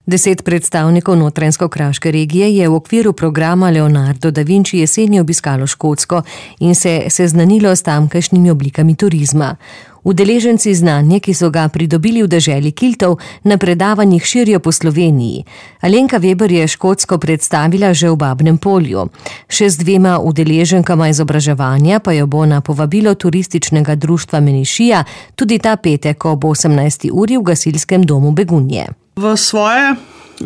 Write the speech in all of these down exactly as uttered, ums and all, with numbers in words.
Deset predstavnikov notranjsko-kraške regije je v okviru programa Leonardo da Vinci jeseni obiskalo Škotsko in se seznanilo s tamkajšnjimi oblikami turizma. Udeleženci znanje, ki so ga pridobili v deželi Kiltov, na predavanjih širijo po Sloveniji. Alenka Veber je Škotsko predstavila že v Babnem Polju. Še z dvema udeleženkama izobraževanja pa jo bo na povabilo turističnega društva Menišija tudi ta petek ob osemnajsti uri v gasilskem domu Begunje. V svoje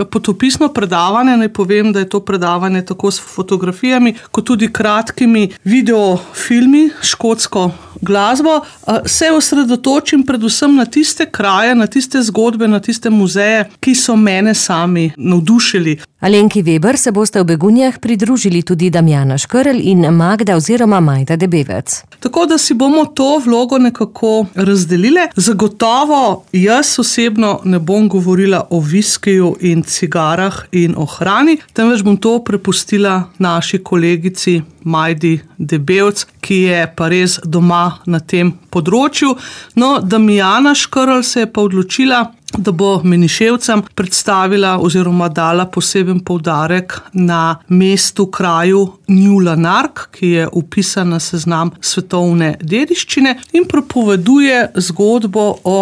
potopisno predavanje naj povem, da je to predavanje tako s fotografijami, kot tudi kratkimi videofilmi, škotsko glasbo. Se osredotočim predvsem na tiste kraje, na tiste zgodbe, na tiste muzeje, ki so mene sami navdušili. Alenki Veber se boste v Begunjah pridružili tudi Damjana Škrlj in Magda oziroma Majda Debevec. Tako da si bomo to vlogo nekako razdelile. Zagotovo jaz osebno ne bom govorila o viskiju in cigarah in o hrani, temveč bom to prepustila naši kolegici Majdi Debevec, ki je pa res doma na tem področju. No, Damjana Škrlj se je pa odločila, da bo Meniševcem predstavila oziroma dala poseben poudarek na mestu, kraju New Lanark, ki je vpisan na seznam svetovne dediščine in pripoveduje zgodbo o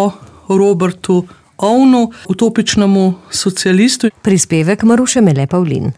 Robertu Owenu, utopičnemu socialistu. Prispevek Maruše Mele Pavlin.